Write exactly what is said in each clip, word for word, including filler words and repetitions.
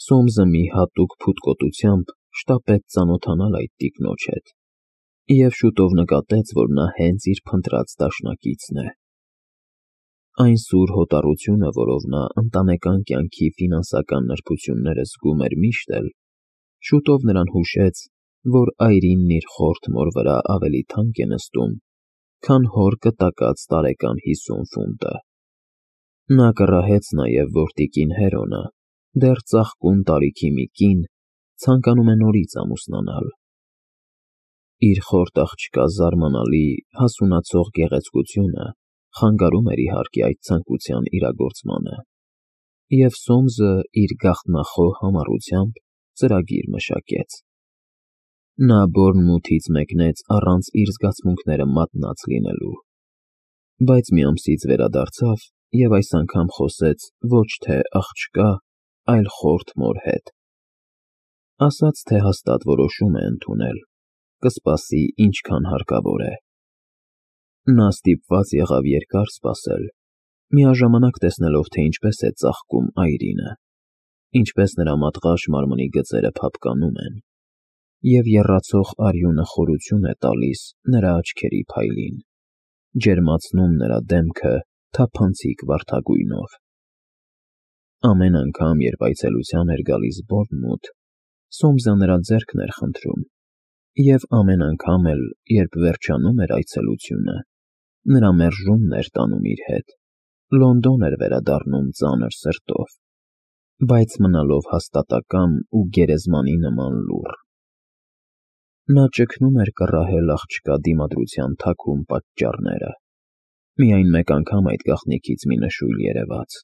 Սոմսը մի հատուկ փութկոտությամբ շտապեց ծանոթանալ այդ տիկնոջ հետ և շուտով նկատեց, որ նա հենց իր փնտրած դաշնակիցն է։ Այն սուր հոտառությունը, որով նա ընտանեկան կյանքի ֆինանսական նրբությունները զգում էր միշտ էլ, շուտով նրան հուշեց, որ այրինն իր խորթ մոր վրա ավելի թանկ է նստում, քան հոր կտակած տարեկան հիսուն ֆունտը։ Նա կռահեց նաև, որ տիկին Հերոնը, դեռ ծաղկուն տարիքի մի կին, ցանկանում է նորից ամուսնանալ։ Իր խորթ աղջկա զարմանալի, հասունացող գեղեցկությունը խանգարում էր իհարկե այդ ցանկության իրագործմանը, և Սոմսը իր գաղտնախոհ համառությամբ ծրագիր մշակեց։ Նա Բորնմութից մեկնեց առանց իր զգացմունքները մատնած լինելու, բայց մի ամսից վերադարձավ և այս անգամ խոսեց ոչ թե աղջկա, այլ խորթ մոր հետ։ Ասաց, թե հաստատ որոշում է ընդունել, կսպասի ինչքան հարկավոր է։ Նա ստիպված եղավ երկար սպասել, միաժամանակ տեսնելով, թե ինչպես է ծաղկում այրինը, ինչպես նրա մատղաշ մարմնի գծերը փափկանում են, և եռացող արյունը խորություն է տալիս նրա աչքերի փայլին, ջերմացնում նրա դեմքը թափանցիկ վարդագույնով։ Ամեն անգամ, երբ այցելության էր գալիս Բորնմութ, Սոմսը նրա ձեռքն էր խնդրում, և ամեն անգամ էլ, երբ վերջանում էր այցելությունը, նրա մերժումն էր տանում իր հետ, Լոնդոն էր վերադառնում ծանր սրտով, բայց մնալով հաստատակամ ու գերեզմանի նման լուռ։ Նա ճգնում էր կռահել աղջկա դիմադրության թաքուն պատճառները, միայն մեկ անգամ այդ գաղտնիքից մի նշույլ երևաց։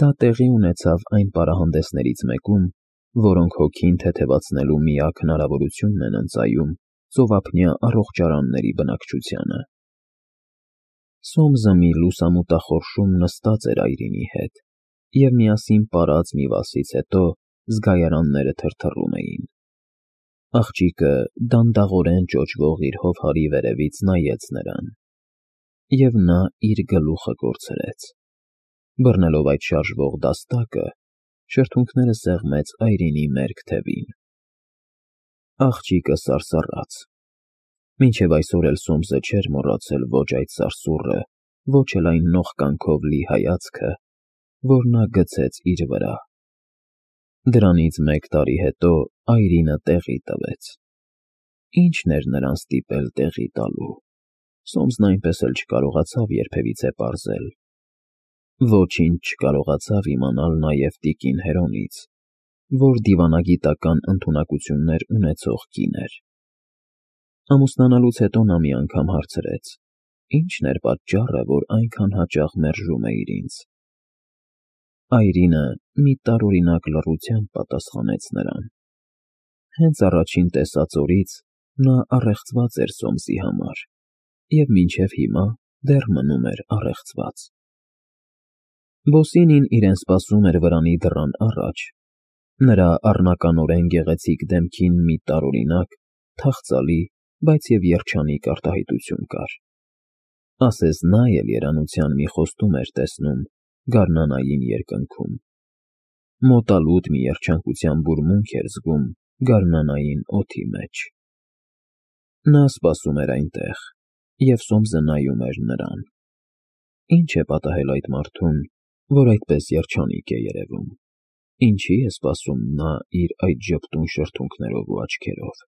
Դա տեղի ունեցավ այն պարահանդեսներից մեկում, որոնք հոգին թեթևացնելու միակ հնարավորությունն են ընծայում ծովափնյա առողջարանների բնակչությանը։ Սոմսը մի լուսամուտախորշում նստած էր այրինի հետ, և միասին պարած մի վասից հետո զգայարանները թրթռում էին։ Աղջիկը դանդաղորեն ճոճվող իր հովհարի վերևից նայեց նրան, և նա իր գլուխը կորցրեց։ Բռնելով այդ շարժվող դաստակը, շրթունքները սեղմեց այրինի մերկ թևին։ Աղջիկը սարսռաց։ Մինչև այսօր էլ Սոմսը չէր մոռացել ոչ այդ սարսուռը, ոչ էլ այն նողկանքով լի հայացքը, որ նա գցեց իր վրա։ Դրանից մեկ տարի հետո այրինը տեղի տվեց։ Ի՞նչն էր նրան ստիպել տեղի տալու, Սոմսն այնպես էլ չկարողացավ երբևիցե պարզել։ Ոչինչ չկարողացավ իմանալ նաև տիկին Հերոնից, որ դիվանագիտական ընդունակություններ ունեցող կին էր։ Ամուսնանալուց հետո նա մի անգամ հարցրեց. ի՞նչն էր պատճառը, որ այնքան հաճախ մերժում էիր ինձ։ Այրինը մի տարօրինակ լռությամբ պատասխանեց նրան։ Հենց առաջին տեսած օրից նա առեղծված էր Սոմսի համար և մինչև հիմա դեռ մնում էր առեղծված։ Բոսինին իրեն սպասում էր վրանի դռան առաջ, նրա առնականորեն գեղեցիկ դեմքին մի տարօրինակ, թախծալի, բայց և երջանիկ արտահայտություն կար։ Ասես նա էլ երանության մի խոստում էր տեսնում գարնանային երկնքում։ Մոտալուտ մի երջանկության բուրմունք էր զգում գարնանային օդի մեջ։ Նա սպասում էր այնտեղ, և Սոմսը նայում էր նրան։ Ինչ է պատահել այդ մարդուն, որ այդպես երջանիկ է երևում, ինչի է սպասում նա իր այդ ժպտուն շրթունքներով ու աչքերով։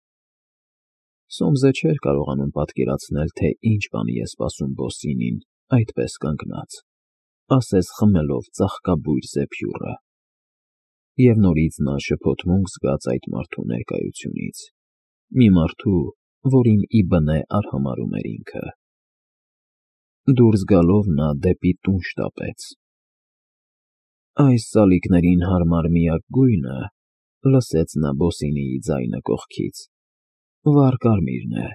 Սոմսը չէր կարողանում պատկերացնել, թե ինչ բանի է սպասում Բոսինին այդպես կանգնած, ասես խմելով ծաղկաբույր զեփյուռը։ Եվ նորից նա շփոթմունք զգաց այդ մարդու ներկայությունից, մի մարդու, որին ի բնե արհամարհում էր ինքը։ Դուրս գալով նա դեպի տուն շտապեց։ Այս սալիկներին հարմար միակ գույնը, լսեց նա Բոսինիի ձայնը կողքից, վառ կարմիրն է,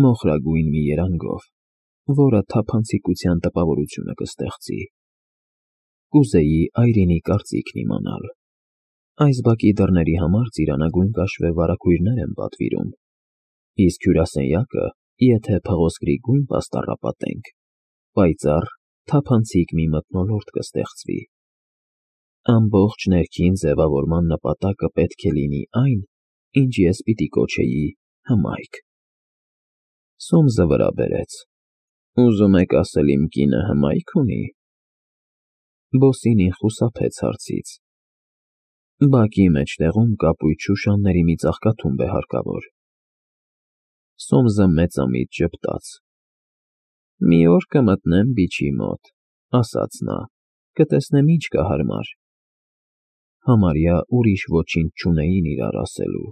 մոխրագույն մի երանգով, որը թափանցիկության տպավորությունը կստեղծի։ Կուզեի այրինի կարծիքն իմանալ։ Այս բակի դռների համար ծիրանագույն կաշվե վարագույրներ են պատվիրում, իսկ հյուրասենյակը, եթե փղոսկրի գույն պաստառապատենք, պայծառ, թափանցիկ մի մթնոլորտ կստեղծվի։ Ամբողջ ներքին ձևավորման նպատակը պետք է լինի այն, ինչ ես պիտի կոչեի հմայք։ Սոմսը վրա բերեց. Ուզում եք ասել իմ կինը հմայք ունի։ Բոսինին խուսափեց հարցից. Բակի մեջտեղում կապույտ շուշանների մի ծաղկաթումբ է հարկավոր։ Սոմսը մեծամիտ ժպտաց. Մի օր կմտնեմ բիչի մոտ, ասաց նա, կտեսնեմ ինչ կա հարմար։ Համարյա ուրիշ ոչինչ չունեին իրար ասելու,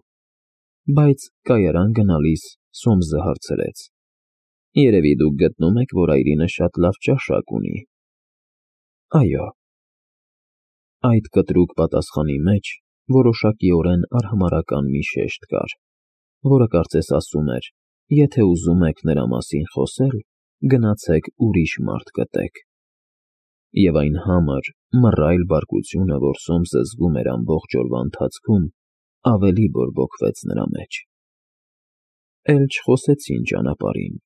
բայց կայարան գնալիս Սոմսը հարցրեց. Երևի դուք գտնում եք, որ այրինը շատ լավ ճաշակ ունի։ Այո։ Այդ կտրուկ պատասխանի մեջ որոշակիորեն արհամարհական մի շեշտ կար, որը կարծես ասում էր. եթե ուզում եք նրա մասին խոսել, գնացեք ուրիշ մարդ գտեք։ Եվ այն համր, մռայլ բարկությունը, որ Սոմսը զգում էր ամբողջ օրվա ընթացքում, ավելի բորբոքվեց նրա մեջ։ Էլ չխոսեցին ճանապարհին,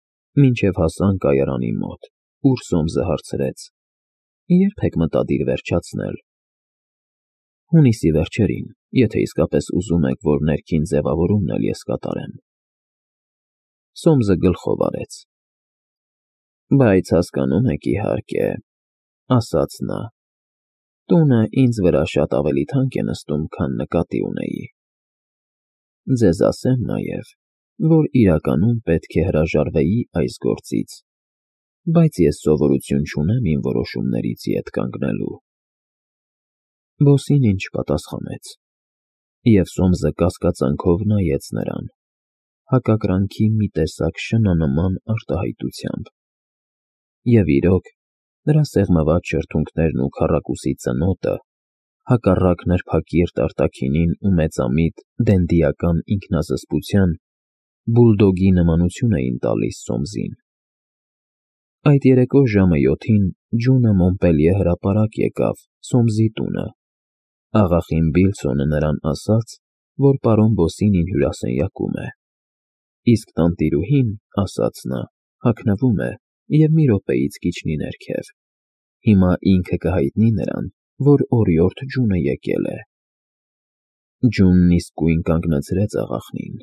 մինչև հասան կայարանի մոտ, ուր Սոմսը հարցրեց. Երբ եք մտադիր վերջացնել։ Հունիսի վերջերին, եթե իսկապես ուզում եք, որ ներքին ձևավորումն էլ ես կատարեմ։ Սոմսը գլխով արեց։ Բայց հասկանում եք, իհարկե, ասաց նա, տունը ինձ վրա շատ ավելի թանկ է նստում, քան նկատի ունեի։ Ձեզ ասեմ նաև, որ իրականում պետք է հրաժարվեի այս գործից, բայց ես սովորություն չունեմ իմ որոշումներից ետ կանգնելու։ Բոսին ինչ պատասխանեց, և Սոմսը կասկածանքով նայեց նրան, հակակրանքի մի տեսակ շնանման արտահայտությամբ։ Եվ իրոք, նրա սեղմված շրթունքներն ու քառակուսի ծնոտը, հակառակ նրբակիրթ արտաքինին ու մեծամիտ դենդիական ինքնազսպության, բուլդոգի նմանություն էին տալիս Սոմսին։ Այդ երեկո ժամը յոթին ջունը Մոնպելիե հրապարակ եկավ Սոմսի տունը։ Աղախին Բիլսոնը նրան ասաց, որ պարոն Բոսինին հյուրասենյակում է։ Իսկ տանտիրուհին, ասաց նա, հագնվում է և մի րոպեից կիջնի ներքև։ Հիմա ինքը կհայտնի նրան, որ օրիորդ ջունը եկել է։ Ջունն իսկույն կանգնացրեց աղախնին։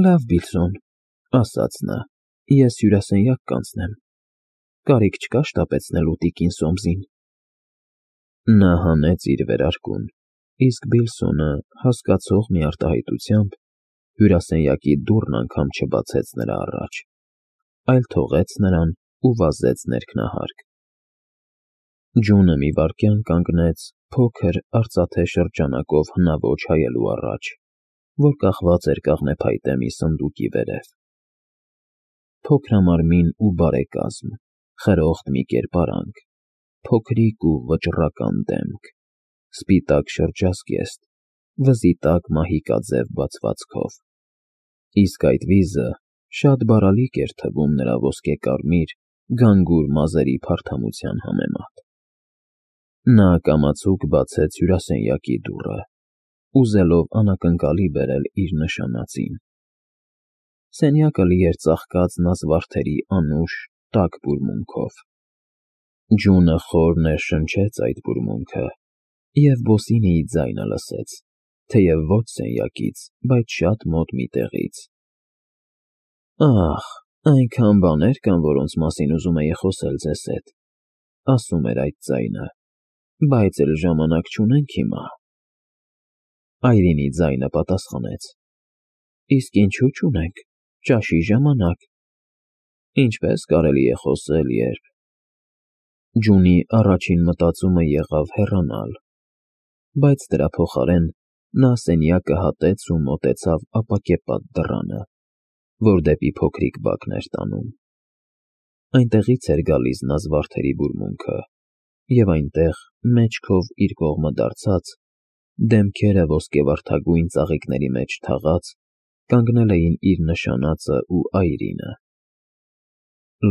Լավ, Բիլսոն, ասաց նա, ես հյուրասենյակ կանցնեմ։ Կարիք չկա շտապեցնելու տիկին Սոմսին։ Նա հանեց իր վերարկուն, իսկ Բիլսոնը, հասկացող մի արտահայտությամբ, հյուրասենյակի դուռն անգամ չբացեց նրա առաջ, այլ թողեց նրան ու վազեց ներքնահարկ։ Ջունը մի վայրկյան կանգնեց փոքր արծաթե շրջանակով հնաոճ հայելու առաջ, որ կախված էր կաղնեփայտե մի սնդուկի վերև։ Փոքրամարմին ու բարեկազմ, խրոխտ մի կերպարանք, փոքրիկ ու վճռական դեմք, սպիտակ շրջազգեստ, վզի տակ մահիկաձև բացվածքով։ Իսկ այդ վիզը շատ բարալիկ էր թվում նրա ոսկեկարմիր, գանգուր մազերի փարթամության համեմատ։ Նա կամացուկ բացեց հյուրասենյակի դուռը, ուզելով անակնկալի բերել իր նշանածին։ Սենյակը լի էր ծաղկած նազվարդերի անուշ, տաք բուրմունքով։ Ջունը խոր ներշնչեց այդ բուրմունքը, և Բոսինիի ձայնը լսեց, թեև ոչ սենյակից, բայց շատ մոտ մի տեղից։ Ահ, այնքան բաներ կան, որոնց մասին ուզում էի խոսել ձեզ հետ, ասում էր այդ ձայնը, բայց էլ ժամանակ չունենք հիմա։ Այրինի ձայնը պատասխանեց. Իսկ ինչու չունենք, ճաշի ժամանակ։ Ինչպես կարելի է խոսել, երբ… Ջունի առաջին մտածումը եղավ հեռանալ, բայց դրա փոխարեն նա սենյակը հատեց ու մոտեցավ ապակեպատ դռանը, որ դեպի փոքրիկ բակն էր տանում։ Այնտեղից էր գալիս նազվարդերի բուրմունքը, և այնտեղ, մեջքով իր կողմը դարձած, դեմքերը ոսկեվարդագույն ծաղիկների մեջ թաղած, կանգնել էին իր նշանածը ու այրինը։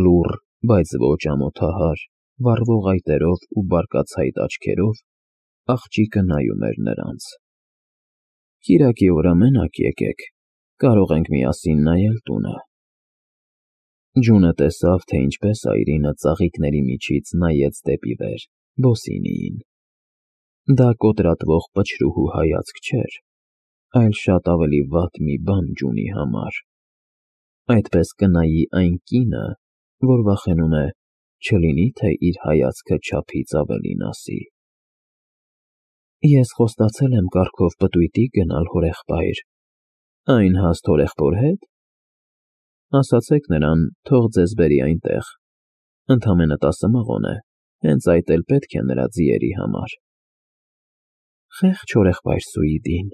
Լուռ, բայց ոչ ամոթահար, վառվող այտերով ու բարկացայտ աչքերով աղջիկը նայում էր նրանց։ Կիրակի օրը մենակ եկեք, կարող ենք միասին նայել տունը։ Ջունը տեսավ, թե ինչպես այրինը ծաղիկների միջից նայեց դեպի վեր Բոսինիին։ Դա կոտրատվող պչրուհու հայացք չէր, այլ շատ ավելի վատ մի բան Ջունի համար. այդպես կնայի այն կինը, որ վախենում է, չլինի թե իր հայացքը չափից ավելին ասի։ Ես խոստացել եմ կառքով պտույտի գնալ հորեղբայր, այն հաստ հորեղբոր հետ։ Ասացեք նրան, թող ձեզ բերի այնտեղ, ընդամենը տասը մղոն է, հենց այդ էլ պետք է նրա ձիերի համար։ Խեղճ հորեղբայր Սուիդին։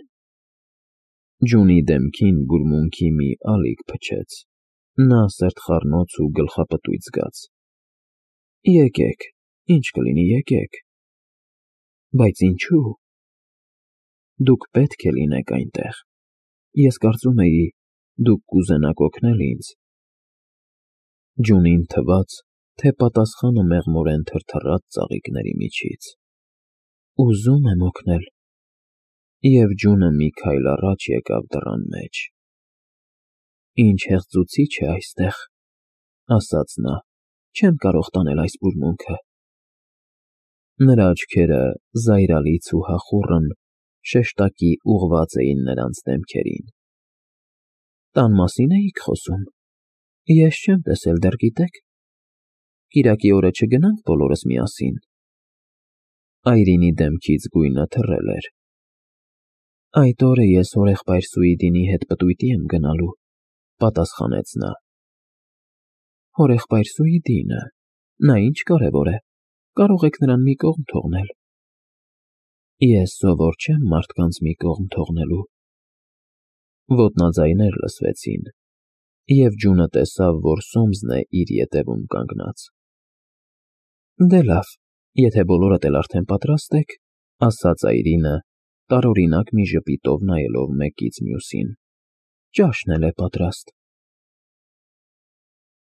Ջունի դեմքին բուրմունքի մի ալիք փչեց, նա սրտխառնոց ու գլխապտույտ զգաց։ Եկեք, ինչ կլինի, եկեք։ Բայց ինչու։ Դուք պետք է լինեք այնտեղ։ Ես կարծում էի, դուք կուզենաք օգնել ինձ։ Ջունին թվաց, թե պատասխանը մեղմորեն թրթռաց ծաղիկների միջից։ Ուզում եմ օգնել։ Եվ Ջունը մի քայլ առաջ եկավ դռան մեջ։ Ինչ հեղձուցիչ է այստեղ, ասաց նա, չեմ կարող տանել այս բուրմունքը։ Նրա աչքերը զայրալից ու հախուռն շեշտակի ուղղված էին նրանց դեմքերին։ Տան մասի՞ն էիք խոսում։ Ես չեմ տեսել, դեռ գիտեք։ Կիրակի օրը չգնանք բոլորս միասին։ Այրինի դեմքից գույնը թռել էր։ Այդ օրը ես հորեղբայր Սուիդինի հետ պտույտի եմ գնալու, պատասխանեց նա։ Հորեղբայր Սուիդինը, նա ինչ կարևոր է, կարող եք նրան մի կողմ թողնել։ Ես սովոր չեմ մարդկանց մի կողմ թողնելու։ Ոտնաձայներ լսվեցին, և Ջունը տեսավ, որ Սոմսն է իր ետևում կանգնած։ Դե լավ, եթե բոլորդ էլ արդեն պատրաստ եք, ասաց Այրինը, տարօրինակ մի ժպիտով նայելով մեկից մյուսին։ Ճաշն էլ է պատրաստ։